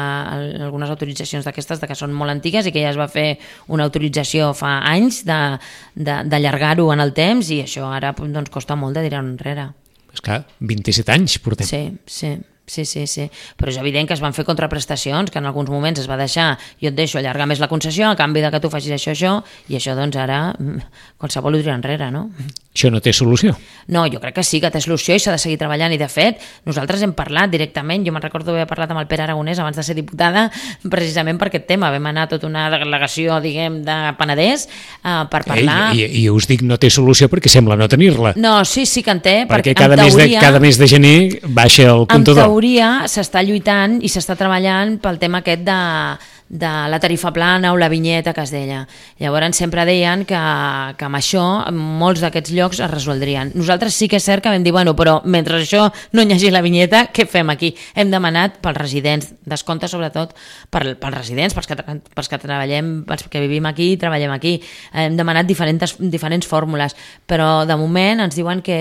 Speaker 3: algunes autoritzacions d'aquestes que són molt antigues i que ja es va fer una autorització fa anys d'allargar-ho en el temps i això ara doncs, costa molt de tirar enrere.
Speaker 2: És clar, vint-i-set anys portem.
Speaker 3: Sí, sí, sí, sí, sí. Però és evident que es van fer contraprestacions, que en alguns moments es va deixar, jo et deixo allargar més la concessió a canvi de que tu facis això, això, i això doncs ara qualsevol ho tira enrere, no?
Speaker 2: Això no té solució?
Speaker 3: No, jo crec que sí que té solució i s'ha de seguir treballant i de fet nosaltres hem parlat directament, jo me'n recordo haver parlat amb el Pere Aragonès abans de ser diputada precisament per aquest tema, vam anar a tota una delegació diguem de Penedès eh, per parlar...
Speaker 2: I, i, I us dic no té solució perquè sembla no tenir-la.
Speaker 3: No, sí, sí que en té,
Speaker 2: perquè,
Speaker 3: perquè
Speaker 2: cada,
Speaker 3: en
Speaker 2: mes
Speaker 3: teoria,
Speaker 2: de, cada mes de gener baixa el comptador.
Speaker 3: En teoria s'està lluitant i s'està treballant pel tema aquest de de la tarifa plana o la vinyeta que es deia. Llavors sempre deien que, que amb això molts d'aquests llocs es resoldrien. Nosaltres sí que és cert que vam dir, bueno, però mentre això no hi hagi la vinyeta, què fem aquí? Hem demanat pels residents, descompte sobretot per, pels residents, pels que, pels que treballem, pels que vivim aquí i treballem aquí. Hem demanat diferents, diferents fórmules, però de moment ens diuen que,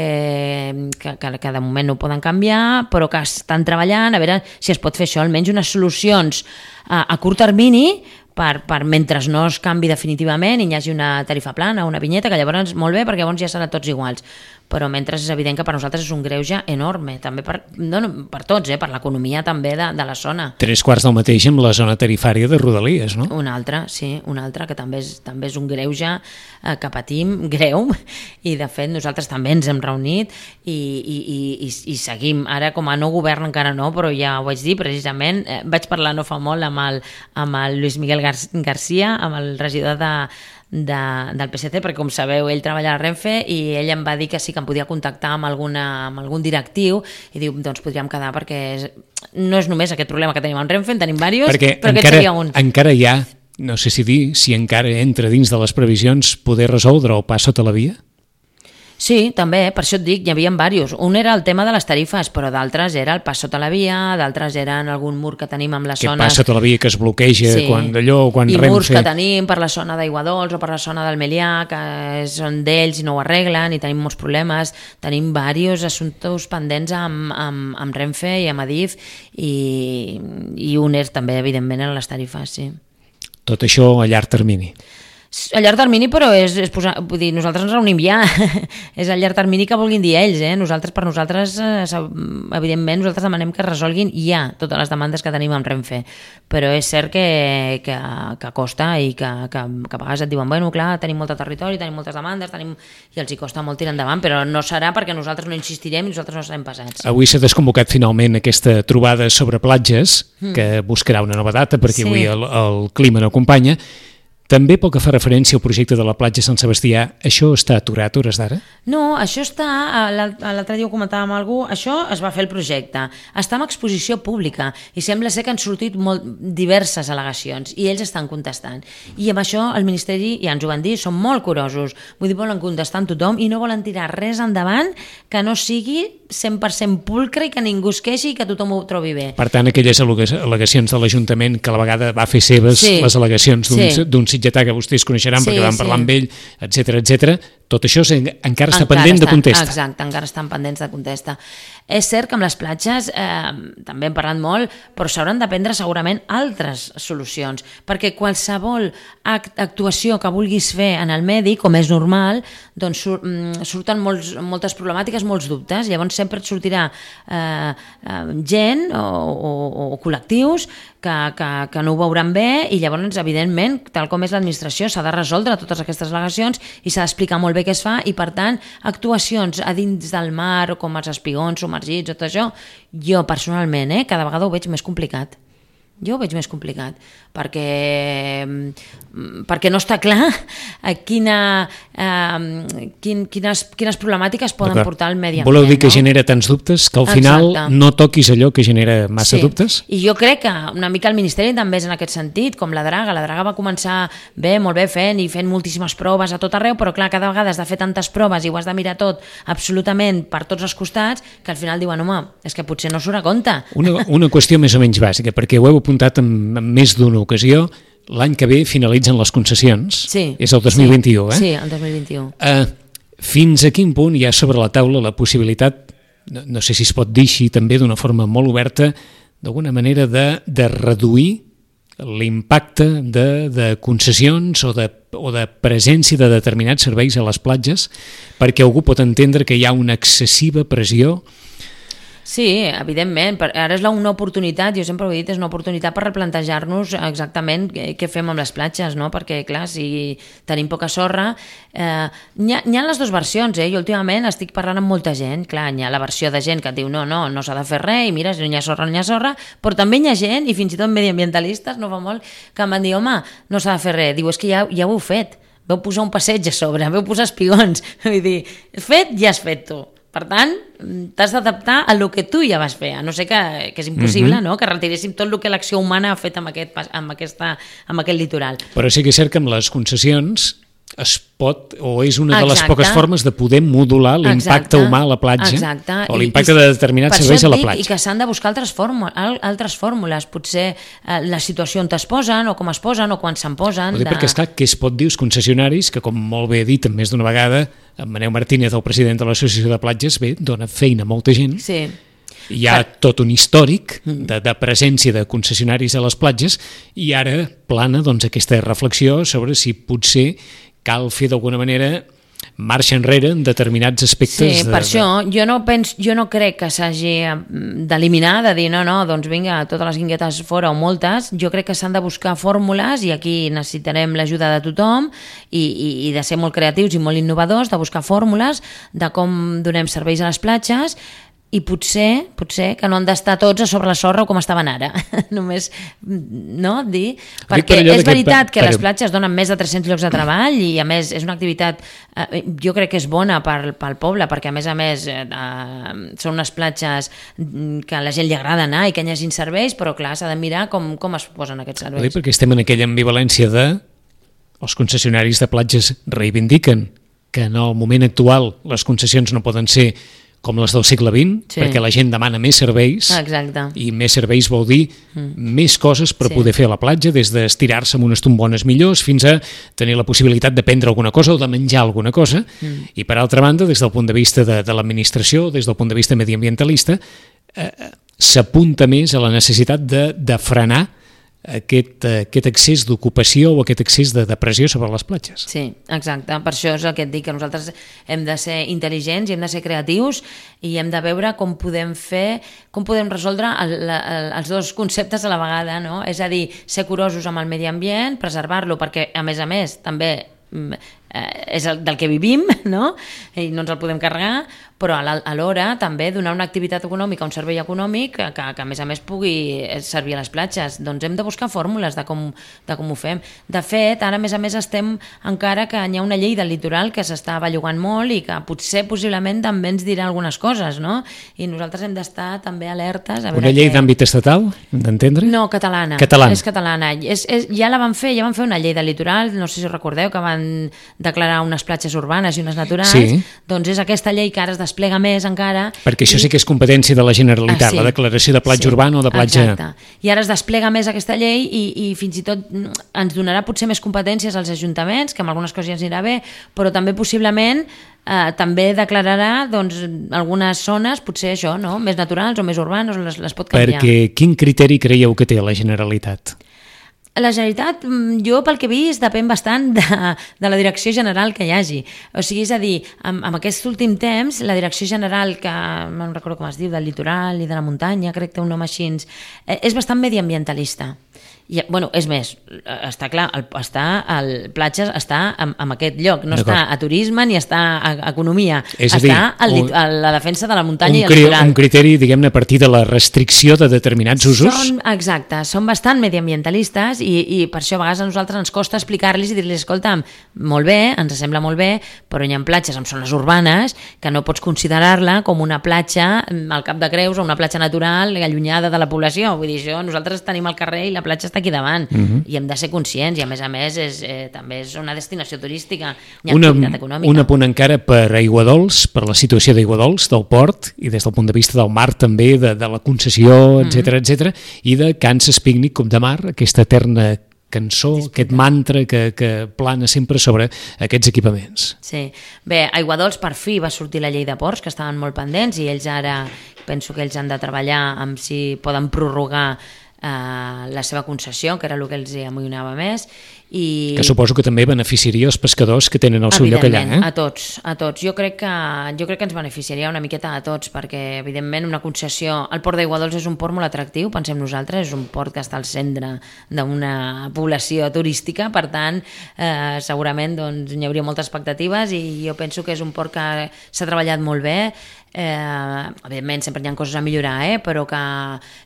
Speaker 3: que, que, que de moment no ho poden canviar, però que estan treballant, a veure si es pot fer això, almenys unes solucions a, a curt termini per, per mentre no es canvi definitivament i hi hagi una tarifa plana, una vinyeta, que llavors molt bé perquè llavors ja seran tots iguals, però mentre és evident que per nosaltres és un greuge enorme, també per, no, no, per tots, eh, per l'economia també de, de la zona.
Speaker 2: Tres quarts del mateix amb la zona tarifària de Rodalies, no?
Speaker 3: Un altre, sí, un altre, que també és, també és un greuge eh, que patim, greu, i de fet nosaltres també ens hem reunit i, i, i, i seguim, ara com a no govern encara no, però ja ho vaig dir precisament, eh, vaig parlar no fa molt amb el, amb el Luis Miguel Gar García, amb el regidor de De, del P S C, perquè com sabeu ell treballa a Renfe i ell em va dir que sí que em podia contactar amb, alguna, amb algun directiu i diu, doncs podríem quedar perquè és, no és només aquest problema que tenim amb Renfe, en tenim diversos,
Speaker 2: perquè
Speaker 3: però
Speaker 2: encara,
Speaker 3: aquest seria un.
Speaker 2: Encara hi ha, no sé si dir, si encara entra dins de les previsions poder resoldre el pas sota la via?
Speaker 3: Sí, també, per això et dic, hi havia diversos. Un era el tema de les tarifes, però d'altres era el pas sota la via, d'altres eren algun mur que tenim amb les
Speaker 2: que
Speaker 3: zones...
Speaker 2: Que pas sota la via que es bloqueja sí. quan d'allò, quan
Speaker 3: I
Speaker 2: Renfe...
Speaker 3: I murs que tenim per la zona d'Aiguadols o per la zona del Melià, que són d'ells i no ho arreglen, i tenim molts problemes. Tenim diversos assumptes pendents amb, amb, amb Renfe i amb Adif, i, i un és també, evidentment, en les tarifes, sí.
Speaker 2: Tot això a llarg termini.
Speaker 3: A llarg termini, però és, és posar, vull dir, nosaltres ens reunim ja, és a llarg termini que vulguin dir ells, eh? Nosaltres, per nosaltres, eh, evidentment, nosaltres demanem que resolguin ja totes les demandes que tenim amb Renfe, però és cert que, que, que costa i que, que, que a vegades et diuen, bueno, clar, tenim molt de territori, tenim moltes demandes, tenim... i els hi costa molt tirar endavant, però no serà perquè nosaltres no insistirem i nosaltres no serem pesats.
Speaker 2: Avui s'ha desconvocat finalment aquesta trobada sobre platges, mm. que buscarà una nova data perquè sí. avui el, el clima no acompanya. També pel que fa referència al projecte de la platja Sant Sebastià, això està aturat a hores d'ara?
Speaker 3: No, això està, l'altre dia ho comentàvem amb algú, això es va fer el projecte, està en exposició pública i sembla ser que han sortit molt diverses al·legacions i ells estan contestant. I amb això el Ministeri, ja ens ho van dir, són molt curosos, vull dir, volen contestar amb tothom i no volen tirar res endavant que no sigui cent per cent pulcre i que ningú es queixi i que tothom ho trobi bé.
Speaker 2: Per tant, aquelles al·legacions de l'Ajuntament que a la vegada va fer seves sí. les al·legacions d'un sí. sitgetà que vostès coneixeran sí, perquè van parlar sí. amb ell, etcètera, etcètera, tot això encara està
Speaker 3: encara
Speaker 2: pendent
Speaker 3: està,
Speaker 2: de contesta.
Speaker 3: Exacte, encara estan pendents de contesta. És cert que amb les platges eh, també hem parlat molt, però s'hauran de prendre segurament altres solucions, perquè qualsevol act, actuació que vulguis fer en el medi, com és normal, doncs sur, surten molts, moltes problemàtiques, molts dubtes, llavors sempre et sortirà eh, eh, gent o, o, o col·lectius que, que, que no ho veuran bé i llavors, evidentment, tal com és l'administració, s'ha de resoldre totes aquestes al·legacions i s'ha d'explicar molt bé què es fa i, per tant, actuacions a dins del mar o com els espigons submergits o tot això, jo personalment, eh, cada vegada ho veig més complicat. Jo ho veig més complicat, perquè, perquè no està clar quina, eh, quin, quines, quines problemàtiques poden portar al medi ambient.
Speaker 2: Voleu dir que
Speaker 3: no?
Speaker 2: genera tants dubtes que al final Exacte. no toquis allò que genera massa
Speaker 3: sí.
Speaker 2: dubtes?
Speaker 3: I jo crec que una mica el Ministeri també és en aquest sentit, com la Draga. La Draga va començar bé, molt bé fent i fent moltíssimes proves a tot arreu, però clar, cada vegada has de fer tantes proves i ho has de mirar tot absolutament per tots els costats que al final diuen, home, és que potser no surt a compte.
Speaker 2: Una, una qüestió més o menys bàsica, perquè ho heu apuntat en, en més d'una ocasió, l'any que ve finalitzen les concessions,
Speaker 3: sí,
Speaker 2: és el dos mil vint-i-u,
Speaker 3: sí,
Speaker 2: eh?
Speaker 3: Sí, el dos mil vint-i-u.
Speaker 2: Uh, fins a quin punt hi ha sobre la taula la possibilitat, no, no sé si es pot dir així també d'una forma molt oberta, d'alguna manera de, de reduir l'impacte de, de concessions o de, o de presència de determinats serveis a les platges, perquè algú pot entendre que hi ha una excessiva pressió.
Speaker 3: Sí, evidentment, ara és una oportunitat, jo sempre ho he dit, és una oportunitat per replantejar-nos exactament què fem amb les platges, no? Perquè clar, si tenim poca sorra, eh, n'hi ha, n'hi ha les dues versions, eh? Jo últimament estic parlant amb molta gent, clar, n'hi ha la versió de gent que et diu no, no, no s'ha de fer res, i mira, si no hi ha sorra, no hi ha sorra, però també hi ha gent, i fins i tot mediambientalistes, no fa molt, que em van dir, home, no s'ha de fer res, diu, és que ja, ja ho heu fet, veu posar un passeig a sobre, veu posar espigons, vull dir, fet, ja has fet tu. Per tant, t'has d'adaptar a lo que tu ja vas fer, a no ser que, que és impossible, mm-hmm. no? Que retiréssim tot el que l'acció humana ha fet amb aquest, amb, aquesta, amb aquest litoral.
Speaker 2: Però sí que és cert que amb les concessions es pot, o és una de les
Speaker 3: Exacte.
Speaker 2: poques formes de poder modular l'impacte humà a la platja.
Speaker 3: Exacte.
Speaker 2: O l'impacte de determinats serveis a la platja.
Speaker 3: I que s'han de buscar altres, fórmules, altres fórmules, potser eh, la situació on es posen, o com es posen, o quan se'n posen.
Speaker 2: De... Perquè esclar, què es pot dir els concessionaris, que com molt bé he dit més d'una vegada, en Maneu Martínez, el president de l'Associació de Platges, bé, dona feina a molta gent.
Speaker 3: Sí.
Speaker 2: Hi ha per... tot un històric de, de presència de concessionaris a les platges i ara plana doncs, aquesta reflexió sobre si potser cal fer d'alguna manera marxa enrere en determinats aspectes.
Speaker 3: Sí,
Speaker 2: de,
Speaker 3: per
Speaker 2: de...
Speaker 3: això jo no, penso, jo no crec que s'hagi d'eliminar, de dir no, no, doncs vinga, totes les guinguetes fora o moltes, jo crec que s'han de buscar fórmules i aquí necessitarem l'ajuda de tothom i, i, i de ser molt creatius i molt innovadors, de buscar fórmules de com donem serveis a les platges i potser, potser que no han d'estar tots a sobre la sorra com estaven ara, només, no, dir, perquè
Speaker 2: per
Speaker 3: és veritat que,
Speaker 2: que
Speaker 3: les platges donen més de tres-cents llocs de treball i a més és una activitat, eh, jo crec que és bona pel, pel poble, perquè a més a més eh, són unes platges que a la gent li agrada anar i que hi hagi serveis, però clar, s'ha de mirar com, com es posen aquests serveis.
Speaker 2: Perquè estem en aquella ambivalència de els concessionaris de platges reivindiquen que en el moment actual les concessions no poden ser com les del segle vint, sí. perquè la gent demana més serveis.
Speaker 3: Exacte.
Speaker 2: I més serveis vol dir mm. més coses per sí. poder fer a la platja, des d'estirar-se amb unes tombones millors fins a tenir la possibilitat de prendre alguna cosa o de menjar alguna cosa. Mm. I per altra banda, des del punt de vista de, de l'administració, des del punt de vista mediambientalista, eh, s'apunta més a la necessitat de, de frenar aquest, aquest excés d'ocupació o aquest excés de depressió sobre les platges.
Speaker 3: Sí, exacte. Per això és el que et dic, que nosaltres hem de ser intel·ligents i hem de ser creatius i hem de veure com podem fer, com podem resoldre el, el, els dos conceptes a la vegada, no? És a dir, ser curosos amb el medi ambient, preservar-lo, perquè a més a més també eh, és el, del que vivim, no? I no ens el podem carregar, però alhora també donar una activitat econòmica, un servei econòmic que, que, que a més a més pugui servir a les platges. Doncs hem de buscar fórmules de com, de com ho fem. De fet, ara a més a més estem encara que hi ha una llei del litoral que s'està bellugant molt i que potser possiblement també ens dirà algunes coses, no? I nosaltres hem d'estar també alertes. A veure
Speaker 2: una llei
Speaker 3: que...
Speaker 2: d'àmbit estatal, hem d'entendre?
Speaker 3: No, catalana.
Speaker 2: Catalana.
Speaker 3: És catalana. És, és, ja la van fer, ja van fer una llei del litoral, no sé si recordeu, que van declarar unes platges urbanes i unes naturals.
Speaker 2: Sí.
Speaker 3: Doncs és aquesta llei que ara es desplega més encara...
Speaker 2: Perquè això
Speaker 3: i...
Speaker 2: sí que és competència de la Generalitat, ah, sí. La declaració de platja
Speaker 3: sí.
Speaker 2: urbana o de platja...
Speaker 3: Exacte. I ara es desplega més aquesta llei i, i fins i tot ens donarà potser més competències als ajuntaments, que amb algunes coses ja ens anirà bé, però també possiblement eh, també declararà doncs, algunes zones, potser això, no? Més naturals o més urbanes, les, les pot canviar.
Speaker 2: Perquè quin criteri creieu que té la Generalitat?
Speaker 3: La Generalitat, jo pel que he vist, depèn bastant de, de la direcció general que hi hagi. O sigui, és a dir, en, en aquest últim temps, la direcció general, que no recordo com es diu, del litoral i de la muntanya, crec que té un nom així, és bastant mediambientalista. I, bueno, és més, està clar, el, està, el Platges està en, en aquest lloc, no està a turisme ni està a, a economia,
Speaker 2: és
Speaker 3: està
Speaker 2: dir,
Speaker 3: a, un, a la defensa de la muntanya i el
Speaker 2: cri,
Speaker 3: litoral.
Speaker 2: Un criteri, diguem-ne, a partir de la restricció de determinats usos?
Speaker 3: Són, exacte, són bastant mediambientalistes i, i per això a vegades a nosaltres ens costa explicar-los i dir-los, escolta'm, molt bé, ens sembla molt bé, però hi ha platges en zones urbanes que no pots considerar-la com una platja al Cap de Creus o una platja natural allunyada de la població. Vull dir, això, nosaltres tenim el carrer i la platja està aquí davant, uh-huh. i hem de ser conscients, i a més a més és, eh, també és una destinació turística, hi ha
Speaker 2: una,
Speaker 3: activitat econòmica.
Speaker 2: Un apunt encara per Aiguadols, per la situació d'Aiguadols, del port, i des del punt de vista del mar també, de, de la concessió, etcètera, uh-huh. etcètera, i de Kansas Picnic Cup de Mar, aquesta eterna cançó, aquest mantra que, que plana sempre sobre aquests equipaments.
Speaker 3: Sí. Bé, a Aiguadols per fi va sortir la llei de ports, que estaven molt pendents, i ells ara, penso que ells han de treballar amb si poden prorrogar Uh, la seva concessió, que era el que els amoïnava més. I...
Speaker 2: Que suposo que també beneficiaria els pescadors que tenen el seu lloc allà. Eh?
Speaker 3: A tots, a tots. Jo crec, que, jo crec que ens beneficiaria una miqueta a tots, perquè evidentment una concessió... El port d'Aiguadols és un port molt atractiu, pensem nosaltres, és un port que està al centre d'una població turística, per tant, eh, segurament doncs, hi hauria moltes expectatives, i jo penso que és un port que s'ha treballat molt bé. Eh, evidentment sempre hi ha coses a millorar, eh? Però que,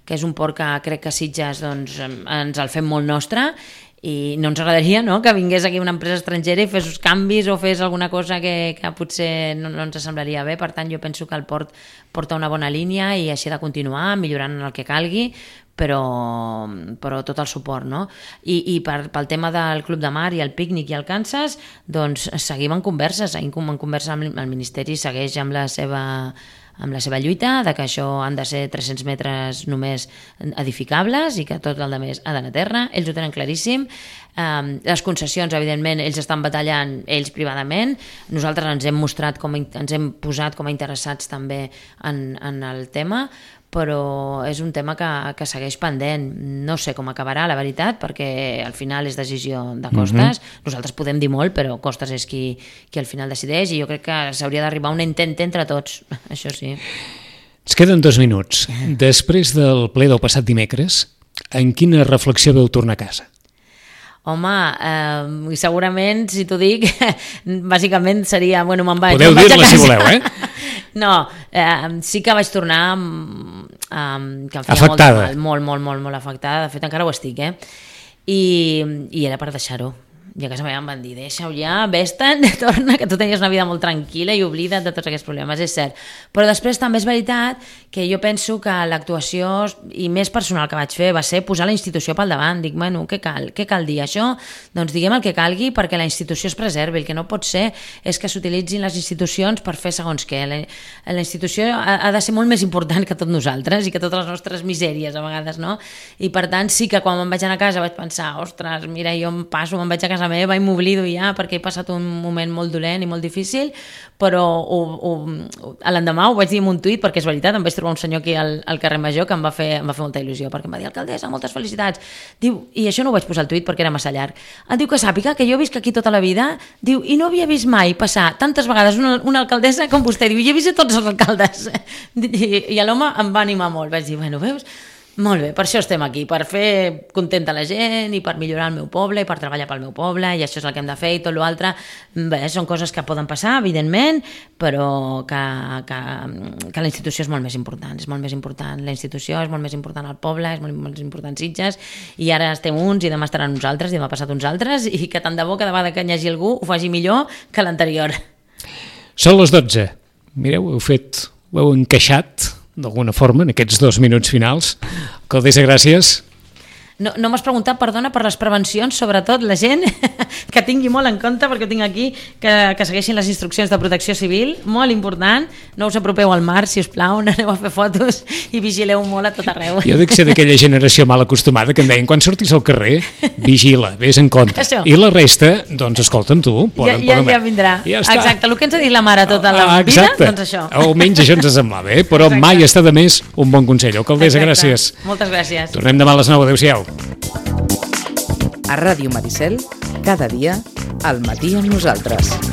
Speaker 3: que és un port que crec que Sitges doncs, ens el fem molt nostre, i no ens agradaria, no?, que vingués aquí una empresa estrangera i fes uns canvis o fes alguna cosa que, que potser no, no ens semblaria bé. Per tant, jo penso que el port porta una bona línia i així ha de continuar millorant el que calgui, però, però tot el suport, no? I, i per, pel tema del Club de Mar i el pícnic i el Kansas, doncs seguim en converses, seguim en conversa amb el Ministeri, segueix amb la seva amb la seva lluita, de que això han de ser tres-cents metres només edificables i que tot el demés ha d'anar a terra. Ells ho tenen claríssim. Um, les concessions, evidentment, ells estan batallant ells privadament. Nosaltres ens hem mostrat, com, ens hem posat com a interessats també en, en el tema, però és un tema que, que segueix pendent. No sé com acabarà, la veritat, perquè al final és decisió de Costes. Uh-huh. Nosaltres podem dir molt, però Costes és qui, qui al final decideix, i jo crec que s'hauria d'arribar a un intent entre tots, això sí.
Speaker 2: Ens queden dos minuts. Després del ple del passat dimecres, en quina reflexió veu tornar a casa?
Speaker 3: Home, eh, segurament, si t'ho dic, bàsicament seria... Bueno, me'n vaig,
Speaker 2: podeu
Speaker 3: me'n vaig
Speaker 2: dir-la si voleu, eh?
Speaker 3: No, eh, sí que vaig tornar um, que em feia
Speaker 2: afectada.
Speaker 3: Molt, molt, molt, molt, molt afectada. De fet, encara ho estic, eh? I, i era per deixar-ho. I a casa meva em van dir, deixa-ho ja, vés-te'n, torna, que tu tenies una vida molt tranquil·la i oblida't de tots aquests problemes, és cert. Però després també és veritat que jo penso que l'actuació, i més personal que vaig fer, va ser posar la institució pel davant. Dic, bueno, què cal? Què cal dir? Això? Doncs diguem el que calgui perquè la institució es preservi. El que no pot ser és que s'utilitzin les institucions per fer segons què. La, la institució ha, ha de ser molt més important que tot nosaltres i que totes les nostres misèries, a vegades, no? I per tant, sí que quan me'n vaig anar a casa vaig pensar, ostres, mira, jo em passo, me'n vaig a casa meva i m'oblido ja perquè he passat un moment molt dolent i molt difícil, però ho, ho, a l'endemà ho vaig dir en un tuit, perquè és veritat, em vaig trobar un senyor aquí al, al carrer Major que em va, fer, em va fer molta il·lusió, perquè em va dir, alcaldessa, moltes felicitats. Diu, i això no ho vaig posar al tuit perquè era massa llarg. Em diu que sàpiga que jo visc aquí tota la vida, diu, i no havia vist mai passar tantes vegades una, una alcaldessa com vostè. Diu, jo he vist tots els alcaldes. I, i l'home em va animar molt. Vaig dir, bueno, veus? Molt bé, per això estem aquí, per fer contenta la gent i per millorar el meu poble i per treballar pel meu poble, i això és el que hem de fer, i tot l'altre, bé, són coses que poden passar, evidentment, però que, que, que la institució és molt més important, és molt més important la institució, és molt més important el poble, és molt més important Sitges, i ara estem uns i demà estaran uns altres i demà passat uns altres, i que tant de bo cada vegada que hi hagi algú ho faci millor que l'anterior.
Speaker 2: Són les dotze. Mireu, heu fet, ho heu encaixat d'alguna forma, en aquests dos minuts finals. Alcaldessa, gràcies.
Speaker 3: No, no m'has preguntat, perdona, per les prevencions, sobretot la gent que tingui molt en compte, perquè ho tinc aquí, que, que segueixin les instruccions de protecció civil, molt important, no us apropeu al mar, si us plau, no aneu a fer fotos i vigileu molt a tot arreu.
Speaker 2: Jo dic ser d'aquella generació mal acostumada que em deien, quan surtis al carrer, vigila, vés en compte.
Speaker 3: Això.
Speaker 2: I la resta, doncs escolta'm tu, poden,
Speaker 3: ja, ja,
Speaker 2: poden...
Speaker 3: ja vindrà.
Speaker 2: Ja
Speaker 3: Exacte, el que ens ha dit la mare tota la
Speaker 2: ah,
Speaker 3: vida,
Speaker 2: exacte.
Speaker 3: doncs això.
Speaker 2: Almenys això ens semblava, eh? Però exacte. Mai està de més un bon consell. Alcaldessa,
Speaker 3: Exacte.
Speaker 2: gràcies.
Speaker 3: Moltes gràcies.
Speaker 2: Tornem demà a les nou. Adéu-siau.
Speaker 1: A Ràdio Maricel, cada dia, al matí amb nosaltres.